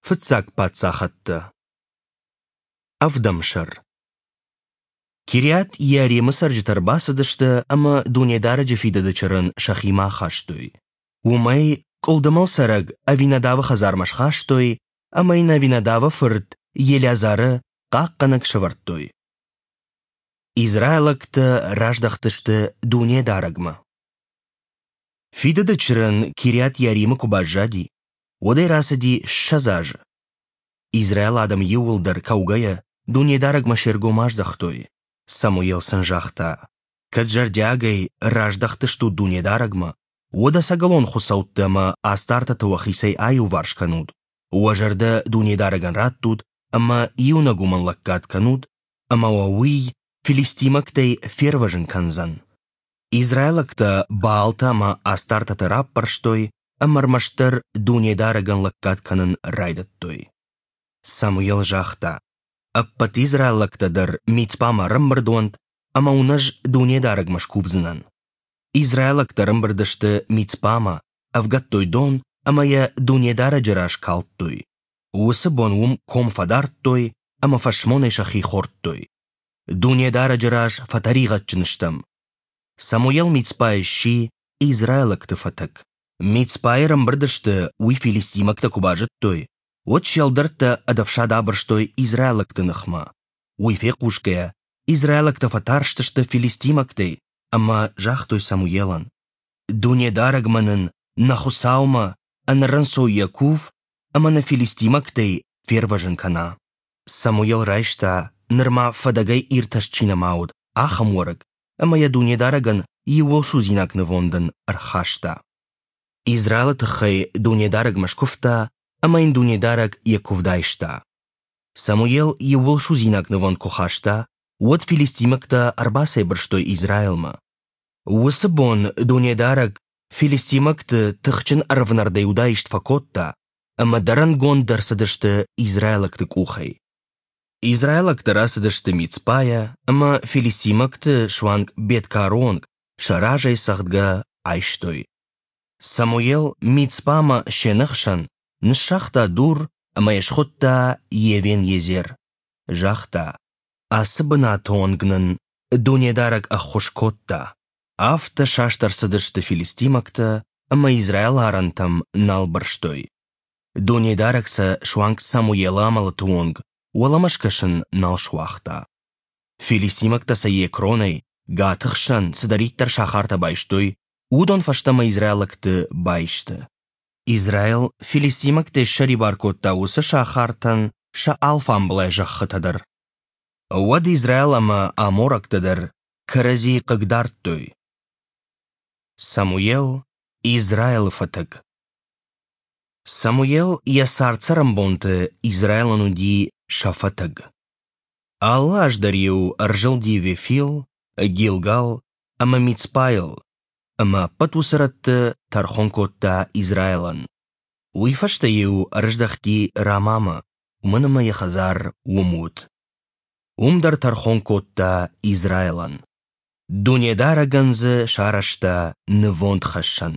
Фыццаг паддзахӕдтӕ. Ӕвдӕм сӕр. Кириат-Иаримы цӕрджытӕ ӕрбацыдысты ӕмӕ Дунедарӕджы фидыды чырын сӕхимӕ ахастой. Уым ӕй къуылдымыл цӕрӕг Авинадавы хӕдзармӕ схастой ӕмӕ йын Авинадавы фырт Елеазары хъахъхъӕнӕг сӕвӕрдтой. Израилӕгтӕ раздӕхтысты Дунедарӕгмӕ. Фидыды чырын Кириат-Иаримы куы баззади, уӕдӕй рацыди 20 азы. Израилы адӕм иууылдӕр кӕугӕйӕ Дунедарӕгмӕ се ргом аздӕхтой. Самуел сын загъта: «Кӕд зӕрдиагӕй раздӕхтыстут Дунедарӕгмӕ, уӕд ӕцӕгӕлон хуыцӕуттӕ ӕмӕ астартӕты уӕхицӕй аиуварс кӕнут, уӕ зӕрдӕ Дунедарӕгӕн раттут ӕмӕ иунӕг уымӕн лӕггад кӕнут, ӕмӕ уӕ уый филистимӕгтӕй фервӕзын кӕндзӕн». Израилӕгтӕ Баалтӕ ӕмӕ астартӕты раппӕрстой ӕмӕ ӕрмӕстдӕр Дунедарӕгӕн лӕггад кӕнын райдыдтой. Самуел загъта: «Ӕппӕт израилӕгтӕ дӕр Мицпамӕ ӕрӕмбырд уӕнт, ӕмӕ уын ӕз Дунедарӕгмӕ скувдзынӕн». Израилӕгтӕ ӕрӕмбырд сты Мицпамӕ, ӕвгӕдтой дон ӕмӕ йӕ Дунедарӕджы раз калдтой. Уыцы бон уым ком фӕдардтой ӕмӕ фӕсмонӕй сӕхи хордтой. Дунедарӕджы раз фӕтӕригъӕдджын стӕм. Самуел Мицпайы сси израилӕгты фӕтӕг. Мицпайы ӕрӕмбырд сты, уый филистимӕгтӕ куы базыдтой, уӕд се ӕлдӕрттӕ ӕд ӕфсад абырстой израилӕгты ныхмӕ. Уый фехъусгӕйӕ, израилӕгтӕ фӕтарстысты филистимӕгтӕй ӕмӕ загътой Самуелӕн: «Дунедарӕгмӕ нын, нӕ Хуыцаумӕ, ӕнӕрынцойӕ кув ӕмӕ нӕ филистимӕгтӕй фервӕзын кӕна». Самуел райста, нырма фӕдӕгӕй иртӕст чи нӕма уыд, ахӕм уӕрыкк ӕмӕ йӕ Дунедарӕгӕн иууылсудзинаг нывондӕн ӕрхаста. Израилы тыххӕй Дунедарӕгмӕ скуывта, ӕмӕ йын Дунедарӕг йӕ куывд айста. Самуел иууылсудзинаг нывонд куы хаста, уӕд филистимӕгтӕ ӕрбацӕйбырстой Израилмӕ. Уыцы бон Дунедарӕг филистимӕгты тыхджын ӕрвнӕрдӕй удаист фӕкодта, ӕмӕ дӕрӕнгонд ӕрцыдысты израилӕгты къухӕй. Израилӕгтӕ рацыдысты Мицпайӕ ӕмӕ филистимӕгты суанг Бет-Кары онг сӕ разӕй цӕгъдгӕ айстой. Самуел Мицпамӕ се нӕхсӕн ныссагъта дур ӕмӕ йӕ схуыдта Евен-Езер. Загъта: «Ацы бынаты онг нын Дунедарӕг ӕххуыс кодта». Афтӕ саст ӕрцыдысты филистимӕгтӕ ӕмӕ Израилы арӕнтӕм нал бырстой. Дунедарӕг сӕ суанг Самуелы амӕлӕты онг уӕлӕмӕ скӕсын нал суагъта. Филистимӕгтӕ сӕ Екронӕй, Гаты хсӕн цыдӕриддӕр сахартӕ байстой, уыдон фӕстӕмӕ израилӕгты баисты. Израил филистимӕгтӕй ссӕрибар кодта уыцы сахартӕн сӕ алфамбылай зӕххытӕ дӕр. Уӕд Израил ӕмӕ аморӕгтӕ дӕр кӕрӕдзи хъыгдардтой. Самуел Израилы фӕтӕг. Самуел йӕ цард-цӕрӕнбонты Израилӕн уыди сӕ фӕтӕг. Алы аз дӕр-иу ӕрзылди Вефил, Гилгал ӕмӕ Мицпайыл, ӕмӕ ӕппӕт уыцы рӕтты тӕрхон кодта Израилӕн. Уый фӕстӕ-иу ӕрыздӕхти Рамамӕ, уымӕн ӕмӕ йӕ хӕдзар уым уыд. Уым дӕр тӕрхон кодта Израилӕн. Дунедарӕгӕн дзы сарӕзта нывондхӕссӕн.